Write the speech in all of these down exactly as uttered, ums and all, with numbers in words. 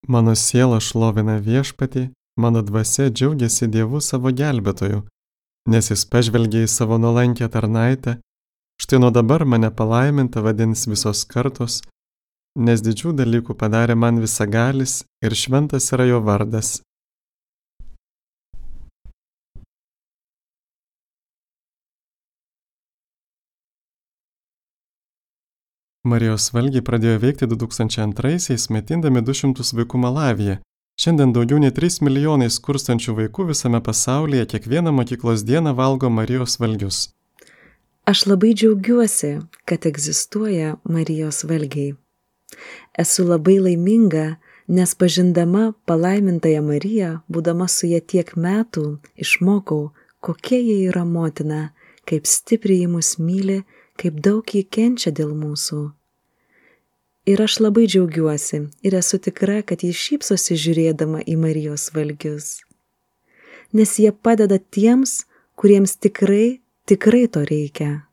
Mano siela šlovina viešpatį, mano dvasia džiaugiasi Dievu savo gelbėtoju, nes jis pažvelgė į savo nuolankę tarnaitę, štai nuo dabar mane palaiminta vadins visos kartos, nes didžių dalykų padarė man visagalis ir šventas yra jo vardas. Marijos valgiai pradėjo veikti du tūkstančiai antraisiais, maitindami du šimtus vaikų Malavyje. Šiandien daugiau nei trys milijonai skurstančių vaikų visame pasaulyje kiekvieną mokyklos dieną valgo Marijos valgius. Aš labai džiaugiuosi, kad egzistuoja Marijos valgiai. Esu labai laiminga, nes pažindama palaimintąją Mariją, būdama su ja tiek metų, išmokau, kokia ji yra motina, kaip stipriai ji mus myli, kaip daug ji kenčia dėl mūsų. Ir aš labai džiaugiuosi ir esu tikra, kad ji šypsosi žiūrėdama į Marijos valgius. Nes jie padeda tiems, kuriems tikrai, tikrai to reikia.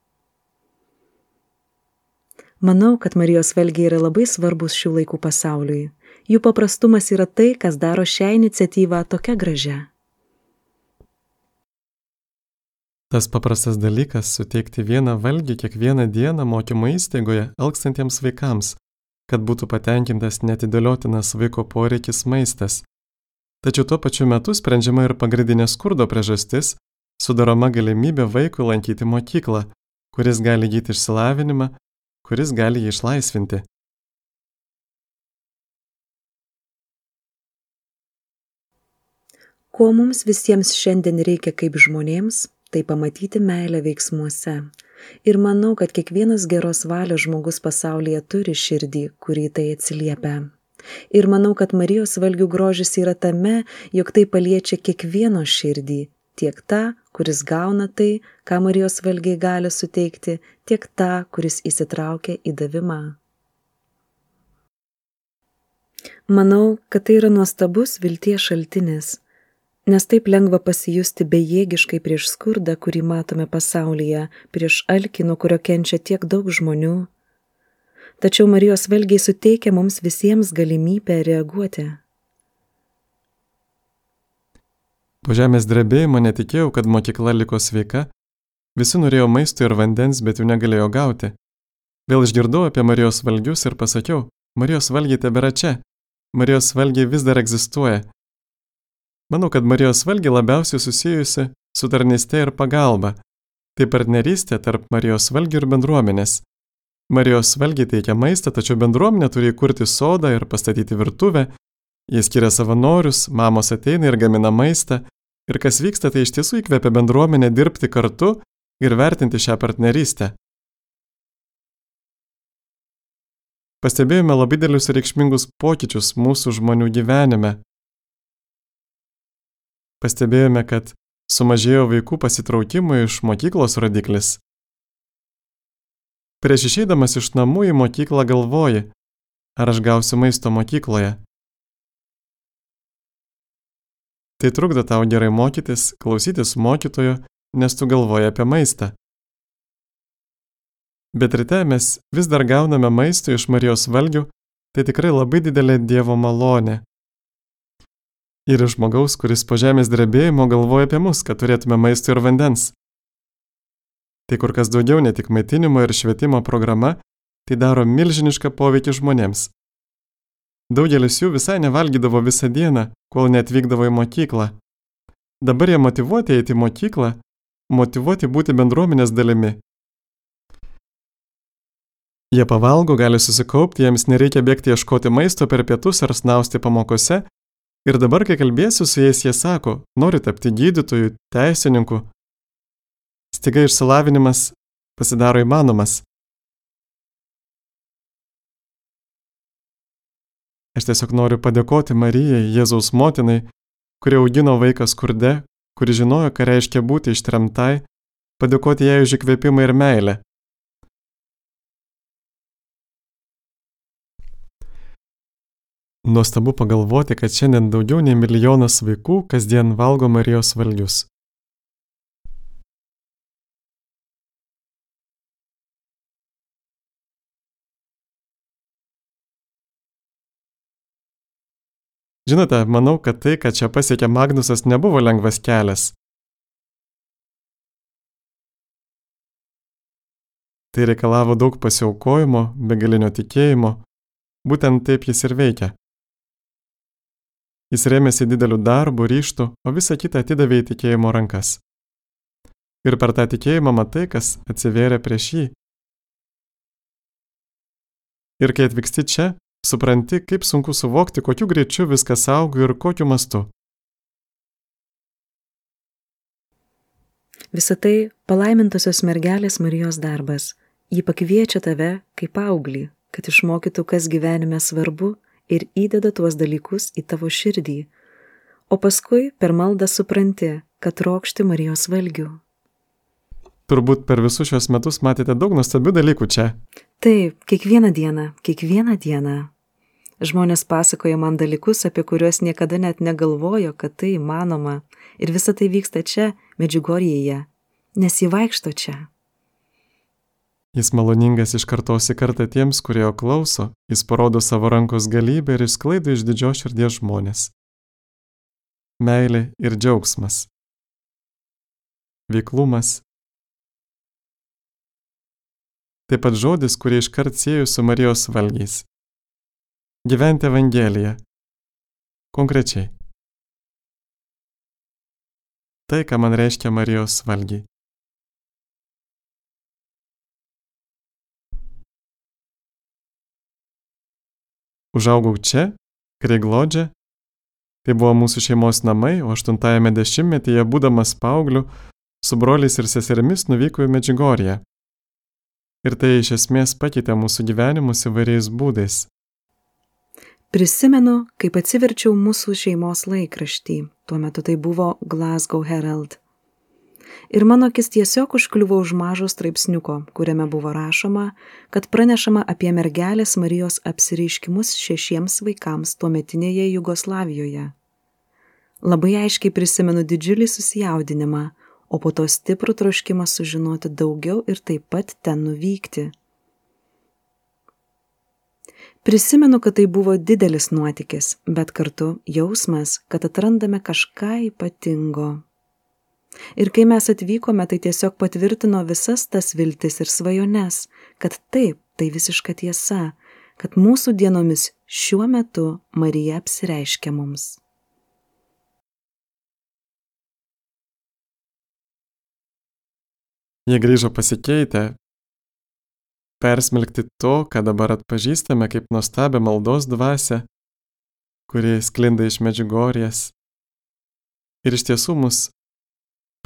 Manau, kad Marijos valgiai yra labai svarbus šių laikų pasauliui. Jų paprastumas yra tai, kas daro šią iniciatyvą tokia gražia. Tas paprastas dalykas - suteikti vieną valgį kiekvieną dieną mokymo įstaigoje alkstantiems vaikams, kad būtų patenkintas neatidėliotinas vaiko poreikis maistas. Tačiau tuo pačiu metu sprendžiama ir pagrindinė skurdo priežastis - sudaroma galimybė vaikui lankyti mokyklą, kuris gali įgyti išsilavinimą, kuris gali jį išlaisvinti. Ko mums visiems šiandien reikia kaip žmonėms, tai pamatyti meilę veiksmuose. Ir manau, kad kiekvienas geros valios žmogus pasaulyje turi širdį, kurį tai atsiliepia. Ir manau, kad Marijos valgių grožis yra tame, jog tai paliečia kiekvieno širdį, tiek tą, kuris gauna tai, ką Marijos valgiai gali suteikti, tiek tą, kuris įsitraukia į davimą. Manau, kad tai yra nuostabus vilties šaltinis, nes taip lengva pasijusti bejėgiškai prieš skurdą, kurį matome pasaulyje, prieš alkį, nuo kurio kenčia tiek daug žmonių. Tačiau Marijos valgiai suteikia mums visiems galimybę reaguoti. Po žemės drebėjimo netikėjau, kad mokykla liko sveika, visi norėjo maisto ir vandens, bet jų negalėjo gauti. Vėl išgirdau apie Marijos valgius ir pasakiau, Marijos valgiai tebėra čia, Marijos valgiai vis dar egzistuoja. Manau, kad Marijos valgiai labiausiai susijusi su tarnyste ir pagalba. Tai partnerystė tarp Marijos valgių ir bendruomenės. Marijos valgiai teikia maistą, tačiau bendruomenė turi įkurti sodą ir pastatyti virtuvę. Jie skiria savanorius, mamos ateina ir gamina maistą. Ir kas vyksta, tai iš tiesų įkvepia bendruomenę dirbti kartu ir vertinti šią partnerystę. Pastebėjome labai didelius ir reikšmingus pokyčius mūsų žmonių gyvenime. Pastebėjome, kad sumažėjo vaikų pasitraukimų iš mokyklos rodiklis. Prieš išeidamas iš namų į mokyklą galvoji, ar aš gausiu maisto mokykloje. Tai trukdo tau gerai mokytis, klausytis mokytojo, nes tu galvoji apie maistą. Bet ryte mes vis dar gauname maisto iš Marijos valgių, tai tikrai labai didelė Dievo malonė. Ir iš žmogaus, kuris po žemės drebėjimo galvoja apie mus, kad turėtume maisto ir vandens. Tai kur kas daugiau ne tik maitinimo ir švietimo programa, tai daro milžinišką poveikį žmonėms. Daugelis jų visai nevalgydavo visą dieną, kol neatvykdavo į mokyklą. Dabar jie motyvuoti eiti į mokyklą, motyvuoti būti bendruomenės dalimi. Jie pavalgo, gali susikaupti, jiems nereikia bėgti ieškoti maisto per pietus ar snausti pamokose. Ir dabar, kai kalbėsiu su jais, jie sako, nori tapti gydytoju, teisininku. Staiga išsilavinimas pasidaro įmanomas. Aš tiesiog noriu padėkoti Marijai, Jėzaus motinai, kuri augino vaiką skurde, kuri žinojo, ką reiškia būti ištremtai, padėkoti jai už įkvėpimą ir meilę. Nuostabu pagalvoti, kad šiandien daugiau nei milijonas vaikų kasdien valgo Marijos valgius. Žinote, manau, kad tai, kad čia pasiekė Magnusas, nebuvo lengvas kelias. Tai reikalavo daug pasiaukojimo, begalinio tikėjimo. Būtent taip jis ir veikia. Jis rėmėsi dideliu darbu, ryžtu, o visą kitą atidavė į tikėjimo rankas. Ir per tą tikėjimą matai, kas atsivėrė prieš jį. Ir kai atvyksti čia, supranti, kaip sunku suvokti, kokiu greičiu viskas auga ir kokiu mastu. Visą tai palaimintosios mergelės Marijos darbas. Ji pakviečia tave kaip paauglį, kad išmokytų, kas gyvenime svarbu ir įdeda tuos dalykus į tavo širdį. O paskui per maldą supranti, kad trokšti Marijos valgių. Turbūt per visus šios metus matėte daug nuostabių dalykų čia. Taip, kiekvieną dieną, kiekvieną dieną. Žmonės pasakoja man dalykus, apie kuriuos niekada net negalvojo, kad tai įmanoma. Ir visa tai vyksta čia, Medžiugorjėje, nes jį vaikšto čia. Jis maloningas iš kartos į kartą tiems, kurie jo klauso, jis parodo savo rankos galybę ir išsklaido iš didžios širdies žmonės. Meilė ir džiaugsmas. Veiklumas. Taip pat žodis, kurį iškart sieju su Marijos valgiais. Gyventi Evangeliją. Konkrečiai. Tai, ką man reiškia Marijos valgiai. Užaugau čia, Kreiglodže. Tai buvo mūsų šeimos namai, o aštuntajame dešimtmetyje, būdamas paaugliu, su broliais ir seserimis nuvyko į Medžiugorję. Ir tai iš esmės pakeitė mūsų gyvenimus įvairiais būdais. Prisimenu, kaip atsiverčiau mūsų šeimos laikraštį. Tuo metu tai buvo Glasgow Herald. Ir mano akis tiesiog užkliuvo už mažo straipsniuko, kuriame buvo rašoma, kad pranešama apie mergelės Marijos apsireiškimus šešiems vaikams tuometinėje Jugoslavijoje. Labai aiškiai prisimenu didžiulį susijaudinimą, o po to stiprų troškimą sužinoti daugiau ir taip pat ten nuvykti. Prisimenu, kad tai buvo didelis nuotykis, bet kartu jausmas, kad atrandame kažką ypatingo. Ir kai mes atvykome, tai tiesiog patvirtino visas tas viltis ir svajones, kad taip, tai visiška tiesa, kad mūsų dienomis šiuo metu Marija apsireiškia mums. Jie grįžo pasikeitę, persmelkti to, ką dabar atpažįstame kaip nuostabią maldos dvasią, kuri sklinda iš Medžiugorjės. Ir iš tiesų mus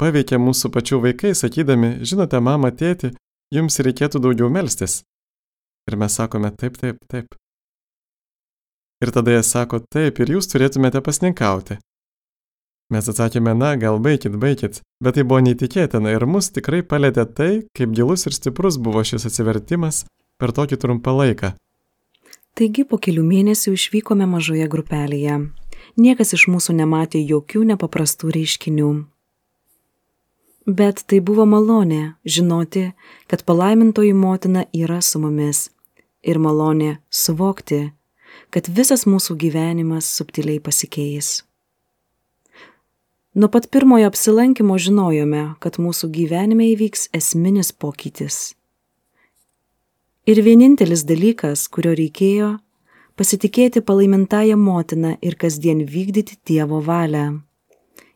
paveikė mūsų pačių vaikai, sakydami, žinote, mama, tėti, jums reikėtų daugiau melstis. Ir mes sakome, taip, taip, taip. Ir tada jie sako, taip, ir jūs turėtumėte pasninkauti. Mes atsakėme, na, gal baikit, baikit, bet tai buvo neįtikėtina ir mus tikrai palėtė tai, kaip gilus ir stiprus buvo šis atsivertimas per tokį trumpą laiką. Taigi po kelių mėnesių išvykome mažoje grupelėje. Niekas iš mūsų nematė jokių nepaprastų reiškinių. Bet tai buvo malonė žinoti, kad palaimintoji motina yra su mumis ir malonė suvokti, kad visas mūsų gyvenimas subtiliai pasikeis. Nuo pat pirmojo apsilankimo žinojome, kad mūsų gyvenime įvyks esminis pokytis. Ir vienintelis dalykas, kurio reikėjo, pasitikėti palaimintąją motiną ir kasdien vykdyti Dievo valią.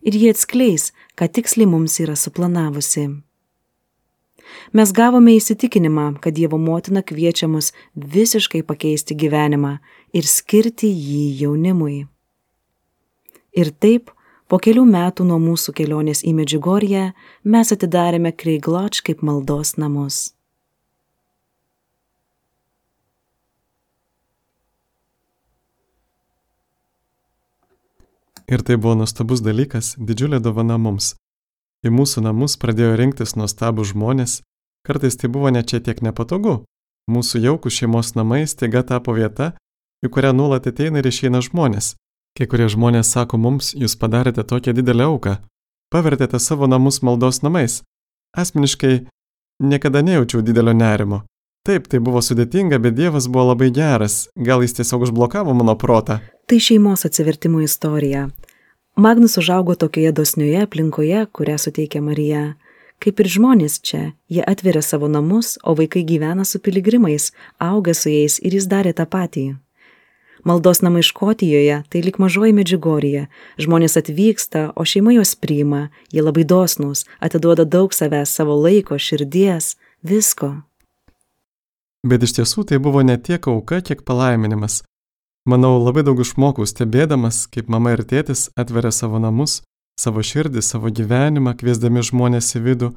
Ir jie atskleis, ką tiksliai mums yra suplanavusi. Mes gavome įsitikinimą, kad Dievo motina kviečia mus visiškai pakeisti gyvenimą ir skirti jį jaunimui. Ir taip, po kelių metų nuo mūsų kelionės į Medžiugorję, mes atidarėme Kreiglodž kaip maldos namus. Ir tai buvo nuostabus dalykas, didžiulė dovana mums. Į mūsų namus pradėjo rinktis nuostabūs žmonės, kartais tai buvo net čia tiek nepatogu. Mūsų jaukų šeimos namai staiga tapo vieta, į kurią nuolat ateina ir išeina žmonės. Kai kurie žmonės sako mums, jūs padarėte tokią didelę auką, pavertėte savo namus maldos namais. Asmeniškai niekada nejaučiau didelio nerimo. Taip, tai buvo sudėtinga, bet Dievas buvo labai geras. Gal jis tiesiog užblokavo mano protą. Tai šeimos atsivertimo istorija. Magnus užaugo tokioje dosnioje aplinkoje, kurią suteikia Marija. Kaip ir žmonės čia, jie atveria savo namus, o vaikai gyvena su piligrimais, auga su jais ir jis darė tą patį. Maldos namai Škotijoje tai lyg mažoji Medžiugorija. Žmonės atvyksta, o šeima juos priima, jie labai dosnūs, atiduoda daug savęs, savo laiko, širdies, visko. Bet iš tiesų tai buvo ne tiek auka, kiek palaiminimas. Manau, labai daug išmokau stebėdamas, kaip mama ir tėtis atveria savo namus, savo širdį, savo gyvenimą, kviesdami žmonės į vidų,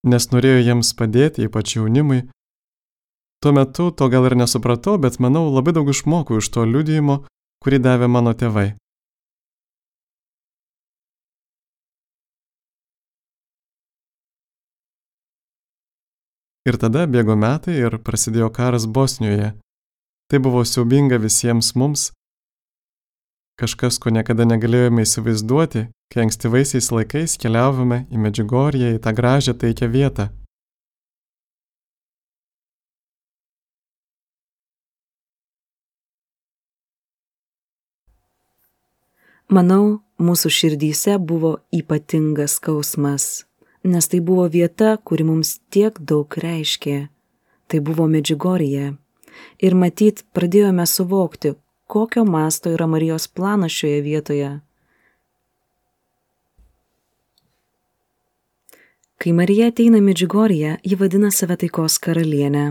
nes norėjo jiems padėti, ypač jaunimui. Tuo metu to gal ir nesupratau, bet manau, labai daug išmokau iš to liudijimo, kurį davė mano tėvai. Ir tada bėgo metai ir prasidėjo karas Bosnijoje. Tai buvo siaubinga visiems mums, kažkas, ko niekada negalėjome įsivaizduoti, kai ankstyvaisiais laikais keliavome į Medžiugorję, į tą gražią taikią vietą. Manau, mūsų širdyse buvo ypatingas skausmas, nes tai buvo vieta, kuri mums tiek daug reiškė. Tai buvo Medžiugorija. Ir matyt, pradėjome suvokti, kokio masto yra Marijos planas šioje vietoje. Kai Marija ateina į Medžiugorję, ji vadina save taikos karalienę.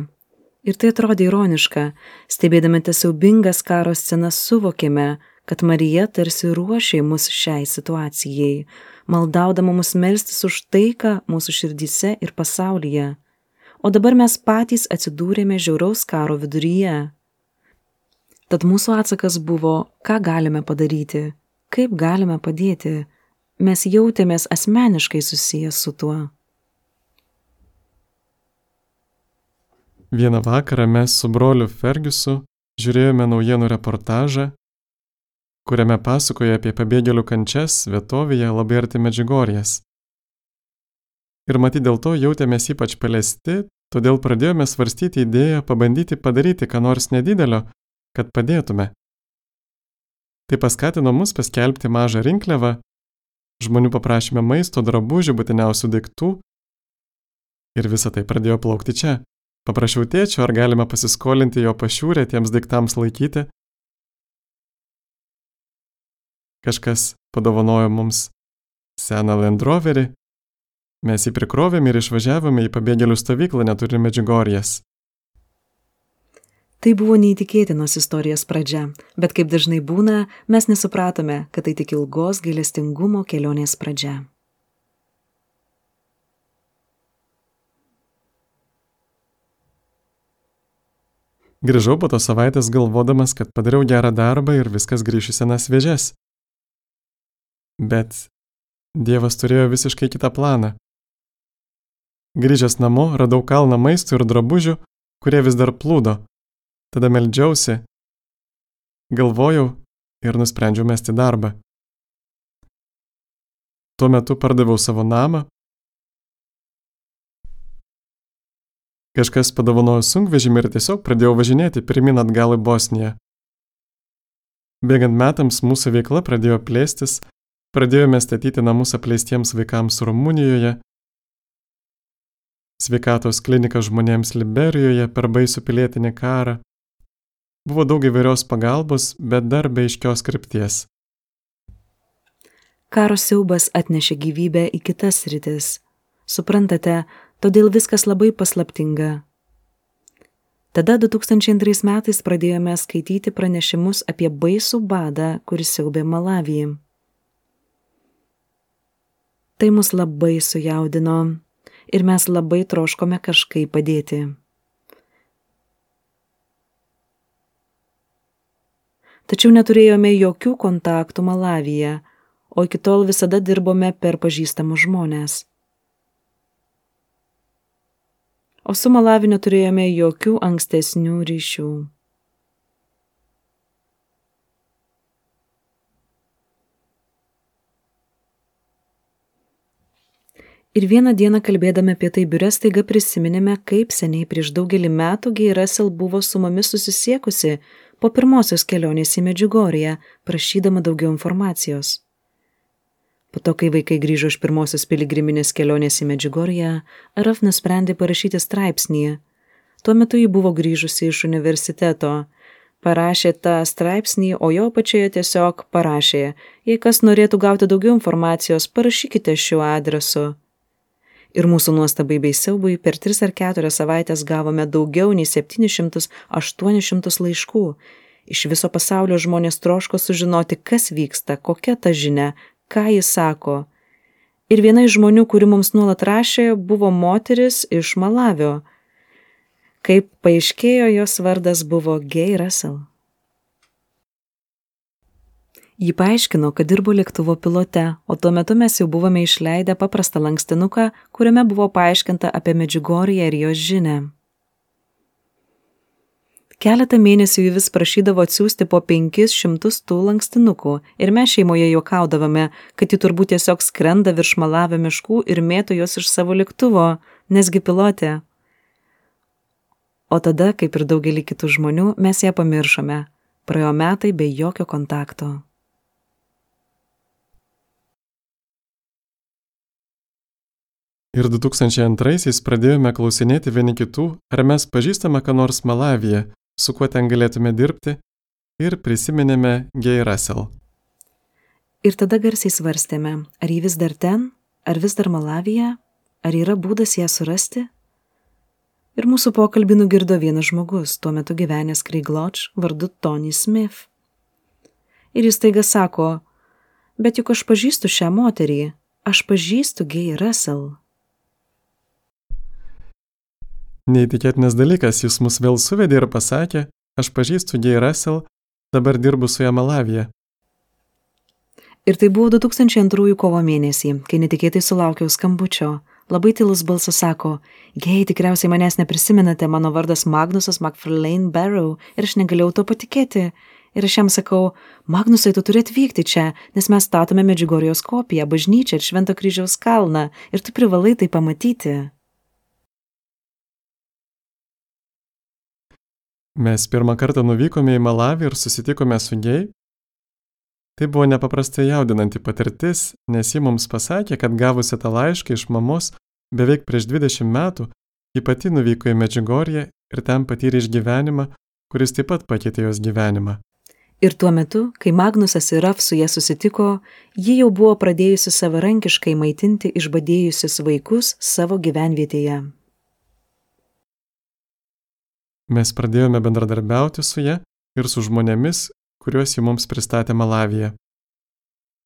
Ir tai atrodė ironiška, stebėdami tas siaubingas karo scenas suvokėme, kad Marija tarsi ruošė mus šiai situacijai, maldaudama mus melstis už taiką mūsų širdyse ir pasaulyje. O dabar mes patys atsidūrėme žiauraus karo viduryje. Tad mūsų atsakas buvo, ką galime padaryti, kaip galime padėti. Mes jautėmės asmeniškai susiję su tuo. Vieną vakarą mes su broliu Fergiusu žiūrėjome naujienų reportažą, kuriame pasakoja apie pabėgėlių kančias vietovėje labai arti Medžiugorjės. Ir matyt, dėl to jautėmės ypač paliesti, todėl pradėjome svarstyti idėją pabandyti padaryti ką nors nedidelio, kad padėtume. Tai paskatino mus paskelbti mažą rinkliavą, žmonių paprašėme maisto, drabužių, būtiniausių daiktų ir visa tai pradėjo plaukti čia. Paprašiau tėčio, ar galime pasiskolinti jo pašiūrę tiems daiktams laikyti. Kažkas padovanojo mums seną Land Roverį. Mes jį prikrovėme ir išvažiavome į pabėgėlių stovyklą netoli Medžiugorjės. Tai buvo neįtikėtinos istorijos pradžia, bet kaip dažnai būna, mes nesupratome, kad tai tik ilgos gailestingumo kelionės pradžia. Grįžau po tos savaitės galvodamas, kad padariau gerą darbą ir viskas grįš į senas vėžes. Bet Dievas turėjo visiškai kitą planą. Grįžęs namo, radau kalną maisto ir drabužių, kurie vis dar plūdo. Tada meldžiausi, galvojau ir nusprendžiau mesti darbą. Tuo metu pardaviau savo namą. Kažkas padovanojo sunkvežimį ir tiesiog pradėjau važinėti pirmyn atgal į Bosniją. Bėgant metams mūsų veikla pradėjo plėstis, pradėjome statyti namus apleistiems vaikams Rumunijoje, sveikatos kliniką žmonėms Liberijoje per baisų pilietinį karą. Buvo daug įvairios pagalbos, bet dar be aiškios krypties. Karo siaubas atnešė gyvybę į kitas sritis. Suprantate, todėl viskas labai paslaptinga. Tada du tūkstančiai antrais metais pradėjome skaityti pranešimus apie baisų badą, kuris siaubė Malavį. Tai mus labai sujaudino ir mes labai troškome kažkaip padėti. Tačiau neturėjome jokių kontaktų Malavyje, o iki tol visada dirbome per pažįstamus žmonės. O su Malaviu neturėjome jokių ankstesnių ryšių. Ir vieną dieną kalbėdami apie tai biure staiga prisiminėme, kaip seniai prieš daugelį metų Gay Russell buvo su mumis susisiekusi po pirmosios kelionės į Medžiugorję, prašydama daugiau informacijos. Po to, kai vaikai grįžo iš pirmosios piligriminės kelionės į Medžiugorję, Araf nusprendė parašyti straipsnį. Tuo metu ji buvo grįžusi iš universiteto. Parašė tą straipsnį, o jo pačioje tiesiog parašė: jei kas norėtų gauti daugiau informacijos, parašykite šiuo adresu. Ir mūsų nuostabai bei siaubui per tris ar keturias savaitės gavome daugiau nei septynis šimtus aštuonis šimtus laiškų. Iš viso pasaulio žmonės troško sužinoti, kas vyksta, kokia ta žinia, ką jis sako. Ir viena iš žmonių, kuri mums nuolat rašė, buvo moteris iš Malavio. Kaip paaiškėjo, jos vardas buvo Gay Russell. Ji paaiškino, kad dirbo lėktuvo pilote, o tuo metu mes jau buvome išleidę paprastą lankstinuką, kuriame buvo paaiškinta apie Medžiugorję ir jos žinią. Keletą mėnesių ji vis prašydavo atsiųsti po penkis šimtus tų lankstinukų ir mes šeimoje juokaudavome, kad ji turbūt tiesiog skrenda virš Malavio miškų ir mėto juos iš savo lėktuvo, nesgi pilotė. O tada, kaip ir daugelį kitų žmonių, mes ją pamiršome. Praėjo metai be jokio kontakto. Ir du tūkstančiai antraisiais pradėjome klausinėti vieni kitų, ar mes pažįstame ką nors Malavyje, su kuo ten galėtume dirbti, ir prisiminėme Gay Russell. Ir tada garsiai svarstėme, ar ji vis dar ten, ar vis dar Malavyje, ar yra būdas ją surasti? Ir mūsų pokalbį nugirdo vienas žmogus, tuo metu gyvenęs Craig Lodge, vardu Tony Smith. Ir jis taiga sako: bet juk aš pažįstu šią moterį, aš pažįstu Gay Russell. Neįtikėtinas dalykas, jis mus vėl suvedė ir pasakė: aš pažįstu Gay Russell, dabar dirbu su ja Malavyje. Ir tai buvo du tūkstančiai antrųjų kovo mėnesį, kai netikėtai sulaukiau skambučio. Labai tylus balsas sako: Gay, tikriausiai manęs neprisimenate, mano vardas Magnusas McFarlane Barrow ir aš negalėjau to patikėti. Ir aš jam sakau: Magnusai, tu turi atvykti čia, nes mes statome Medžiugorjos kopiją, bažnyčią ir Švento kryžiaus kalną ir tu privalai tai pamatyti. Mes pirmą kartą nuvykome į Malavį ir susitikome su Gay. Tai buvo nepaprastai jaudinanti patirtis, nes ji mums pasakė, kad gavusi tą laišką iš mamos beveik prieš dvidešimt metų, ji pati nuvyko į Medžiugorję ir ten patyrė išgyvenimą, kuris taip pat pakeitė jos gyvenimą. Ir tuo metu, kai Magnusas ir Raf su ja susitiko, ji jau buvo pradėjusi savarankiškai maitinti išbadėjusius vaikus savo gyvenvietėje. Mes pradėjome bendradarbiauti su ja ir su žmonėmis, kuriuos ji mums pristatė Malavyje.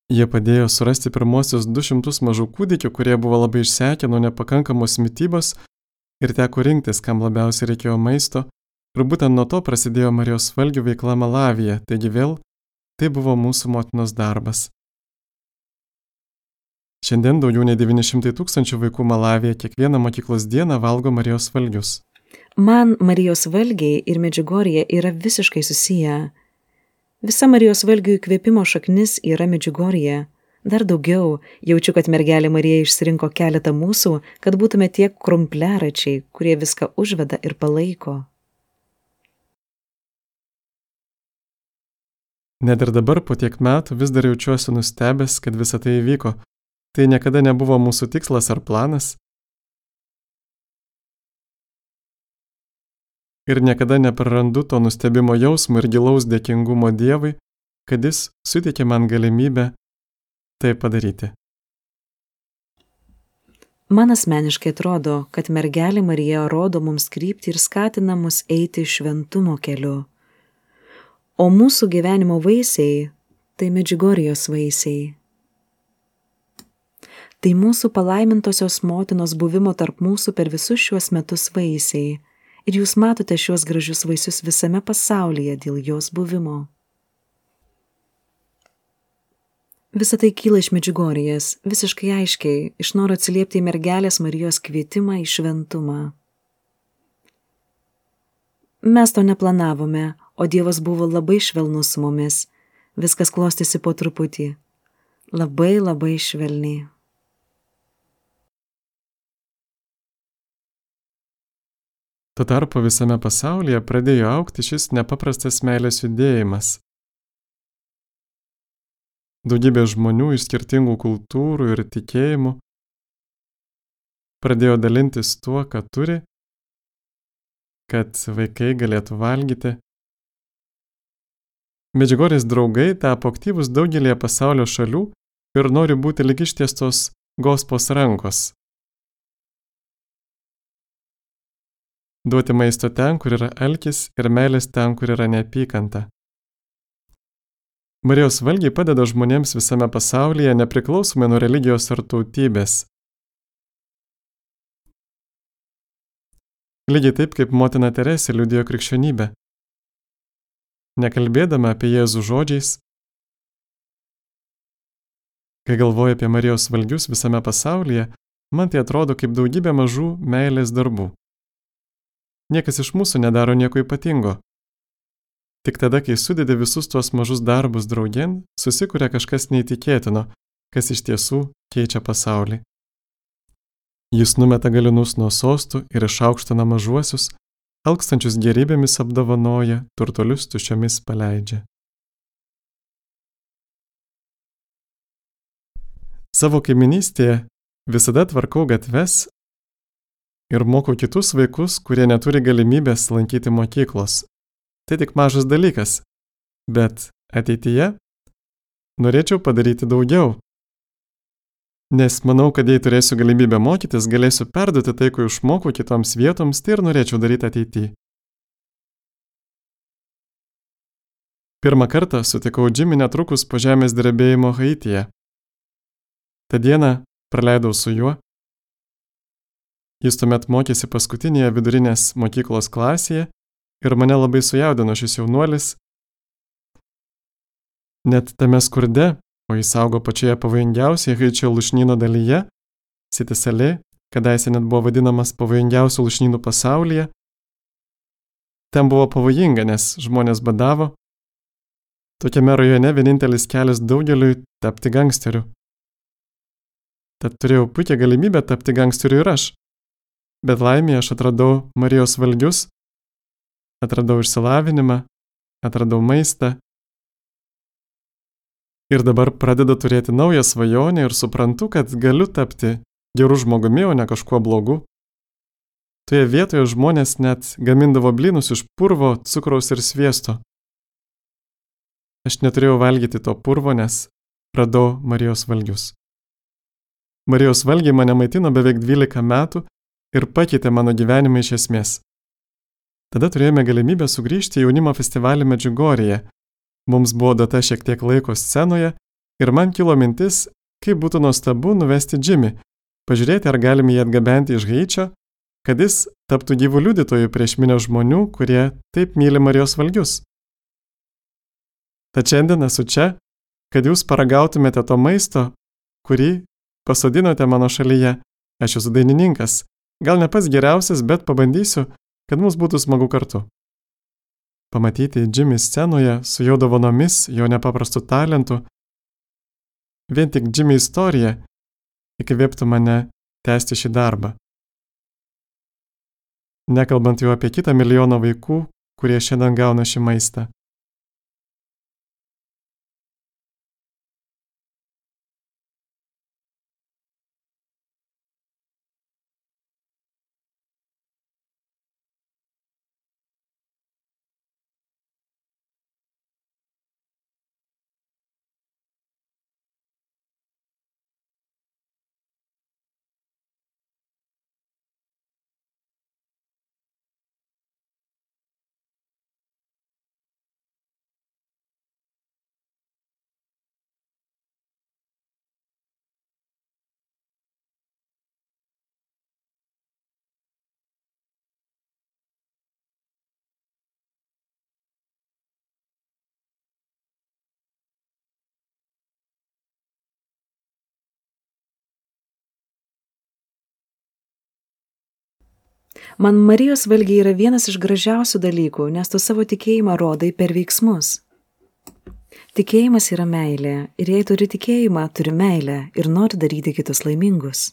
Jie padėjo surasti pirmosius du šimtus mažų kūdikių, kurie buvo labai išsekę nuo nepakankamos mitybos ir teko rinktis, kam labiausiai reikėjo maisto, ir būtent nuo to prasidėjo Marijos valgių veikla Malavyje, taigi vėl tai buvo mūsų motinos darbas. Šiandien daugiau nei devyni šimtai tūkstančių vaikų Malavyje kiekvieną mokyklos dieną valgo Marijos valgius. Man Marijos valgiai ir Medžiugorjė yra visiškai susiję. Visa Marijos valgių įkvėpimo šaknis yra Medžiugorjė. Dar daugiau, jaučiu, kad mergelė Marija išsirinko keletą mūsų, kad būtume tie krumpliaračiai, kurie viską užveda ir palaiko. Net ir dabar po tiek metų vis dar jaučiuosi nustebęs, kad visa tai įvyko. Tai niekada nebuvo mūsų tikslas ar planas. Ir niekada neprarandu to nustebimo jausmo ir gilaus dėkingumo Dievui, kad jis suteikė man galimybę tai padaryti. Man asmeniškai atrodo, kad mergelė Marija rodo mums kryptį ir skatina mus eiti šventumo keliu. O mūsų gyvenimo vaisiai – tai Medžiugorjos vaisiai. Tai mūsų palaimintosios motinos buvimo tarp mūsų per visus šiuos metus vaisiai. Ir jūs matote šiuos gražius vaisius visame pasaulyje dėl jos buvimo. Visa tai kyla iš Medžiugorjės, visiškai aiškiai, iš noro atsiliepti į mergelės Marijos kvietimą į šventumą. Mes to neplanavome, o Dievas buvo labai švelnus su mumis. Viskas klostėsi po truputį. Labai labai švelniai. Tuo tarpu visame pasaulyje pradėjo augti šis nepaprastas meilės judėjimas. Daugybė žmonių iš skirtingų kultūrų ir tikėjimų pradėjo dalintis tuo, ką turi, kad vaikai galėtų valgyti. Medžiugorjės draugai tapo aktyvūs daugelį pasaulio šalių ir nori būti lyg ištiestos Gospos rankos. Duoti maisto ten, kur yra alkis, ir meilės ten, kur yra neapykanta. Marijos valgiai padeda žmonėms visame pasaulyje nepriklausomai nuo religijos ar tautybės. Lygiai taip, kaip motina Teresė liudijo krikščionybę. Nekalbėdama apie Jėzų žodžiais, kai galvoju apie Marijos valgius visame pasaulyje, man tai atrodo kaip daugybė mažų meilės darbų. Niekas iš mūsų nedaro nieko ypatingo. Tik tada, kai sudedi visus tuos mažus darbus draugėn, susikuria kažkas neįtikėtino, kas iš tiesų keičia pasaulį. Jis numeta galinus nuo sostų ir išaukština mažuosius, alkstančius gerybėmis apdovanoja, turtuolius tuščiomis paleidžia. Savo kaiminystėje visada tvarkau gatves ir mokau kitus vaikus, kurie neturi galimybės lankyti mokyklos. Tai tik mažas dalykas, bet ateityje norėčiau padaryti daugiau. Nes manau, kad jei turėsiu galimybę mokytis, galėsiu perduoti tai, ko išmokau kitoms vietoms, tai ir norėčiau daryti ateityje. Pirmą kartą sutikau Jimmy netrukus po žemės drebėjimo Haityje. Ta diena praleidau su juo. Jis tuomet mokėsi paskutinėje vidurinės mokyklos klasėje ir mane labai sujaudino šis jaunuolis. Net tame skurde, o jis augo pačioje pavojingiausioje Haičio lūšnyno dalyje, Siti Salė, kadaise net buvo vadinamas pavojingiausių lūšnynų pasaulyje. Ten buvo pavojinga, nes žmonės badavo. Tokiame rajone vienintelis kelias daugeliui tapti gangsteriu. Tad turėjau puikią galimybę tapti gangsteriu ir aš. Bet laimėje aš atradau Marijos valgius, atradau išsilavinimą, atradau maistą. Ir dabar pradedu turėti naują svajonę ir suprantu, kad galiu tapti geru žmogumi, o ne kažkuo blogu. Toje vietoje žmonės net gamindavo blynus iš purvo, cukraus ir sviesto. Aš neturėjau valgyti to purvo, nes radau Marijos valgius. Marijos valgiai mane maitino beveik dvylika metų ir pakeitė mano gyvenimą iš esmės. Tada turėjome galimybę sugrįžti į jaunimo festivalį Medžiugorjėje. Mums buvo data šiek tiek laiko scenoje ir man kilo mintis, kaip būtų nuostabu nuvesti Jimmy, pažiūrėti, ar galime jį atgabenti iš Haičio, kad jis taptų gyvų liudytojų prieš minią žmonių, kurie taip myli Marijos valgius. Tad šiandien esu čia, kad jūs paragautumėte to maisto, kurį pasodinote mano šalyje. Aš esu dainininkas, gal ne pats geriausias, bet pabandysiu, kad mums būtų smagu kartu. Pamatyti Jimmy scenoje su jo dovanomis, jo nepaprastu talentu, vien tik Jimmy istorija įkvėptų mane tęsti šį darbą. Nekalbant jau apie kitą milijoną vaikų, kurie šiandien gauna šį maistą. Man Marijos valgiai yra vienas iš gražiausių dalykų, nes tu savo tikėjimą rodai per veiksmus. Tikėjimas yra meilė ir jei turi tikėjimą, turi meilę ir nori daryti kitus laimingus.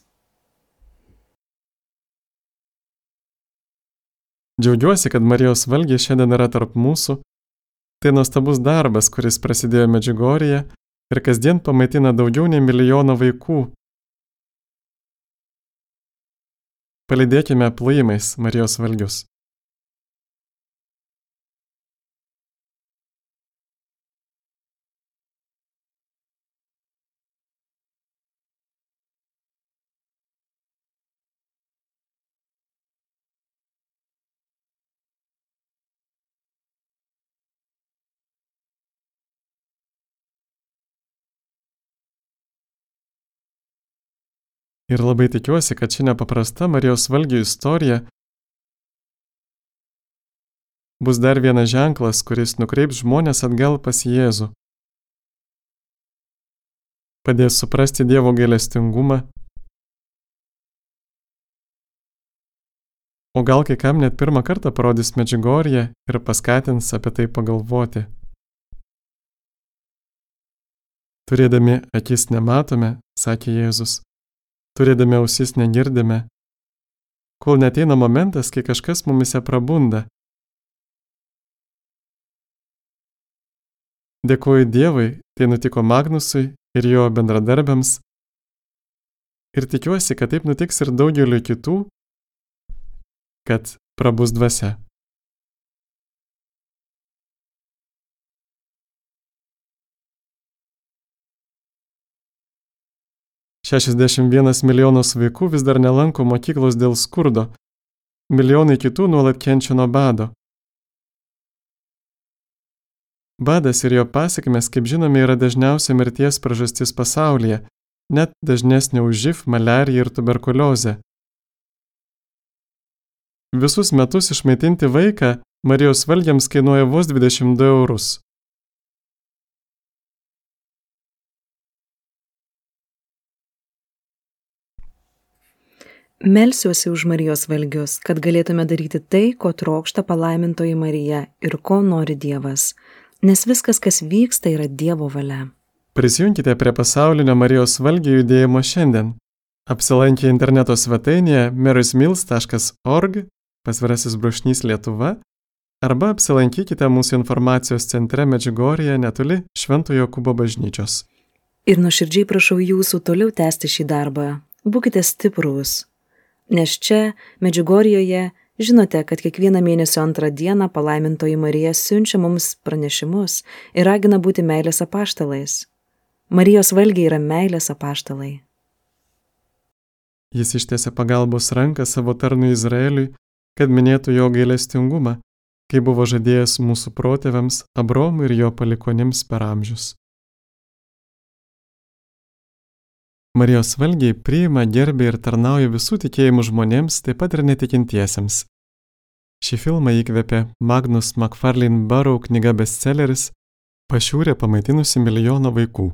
Džiaugiuosi, kad Marijos valgiai šiandien yra tarp mūsų. Tai nuostabus darbas, kuris prasidėjo Medžiugorjėje ir kasdien pamaitina daugiau nei milijoną vaikų. Palydėkime plojimais Marijos valgius. Ir labai tikiuosi, kad ši nepaprasta Marijos valgių istorija bus dar vienas ženklas, kuris nukreips žmonės atgal pas Jėzų. Padės suprasti Dievo gailestingumą, o gal kai kam net pirmą kartą parodys Medžiugorję ir paskatins apie tai pagalvoti. Turėdami akis nematome, sakė Jėzus. Turėdami ausis negirdime, kol neteina momentas, kai kažkas mumise prabunda. Dėkuoju Dievui, tai nutiko Magnusui ir jo bendradarbiams. Ir tikiuosi, kad taip nutiks ir daugeliu kitų, kad prabus dvasia. šešiasdešimt vienas milijonas vaikų vis dar nelanko mokyklos dėl skurdo, milijonai kitų nuolat kenčia nuo bado. Badas ir jo pasekmės, kaip žinome, yra dažniausia mirties priežastis pasaulyje, net dažnesnė už živ, maliariją ir tuberkuliozę. Visus metus išmaitinti vaiką Marijos valgiams kainuoja vos dvidešimt du eurus. Melsiuosi už Marijos valgius, kad galėtume daryti tai, ko trokšta palaimintoji Marija ir ko nori Dievas, nes viskas, kas vyksta, yra Dievo valia. Prisijunkite prie pasaulinio Marijos valgių judėjimo šiandien. Apsilankę interneto svetainėje marysmills taškas org, pasvirasis brūkšnys Lietuva, arba apsilankykite mūsų informacijos centre Medžiugorjėje netoli Šventojo Jokūbo bažnyčios. Ir nuoširdžiai prašau jūsų toliau tęsti šį darbą. Būkite stiprūs. Nes čia, Medžiugorjėje, žinote, kad kiekvieną mėnesio antrą dieną palaimintoji Marija siunčia mums pranešimus ir ragina būti meilės apaštalais. Marijos valgiai yra meilės apaštalai. Jis ištiesė pagalbos ranką savo tarnui Izraeliui, kad minėtų jo gailestingumą, kai buvo žadėjęs mūsų protėviams Abraomui ir jo palikonims per amžius. Marijos valgiai priima, gerbia ir tarnauja visų tikėjimų žmonėms, taip pat ir netikintiesiems. Šį filmą įkvėpė Magnus McFarlane Burrow knyga bestselleris Pašiūrė pamaitinusi milijoną vaikų.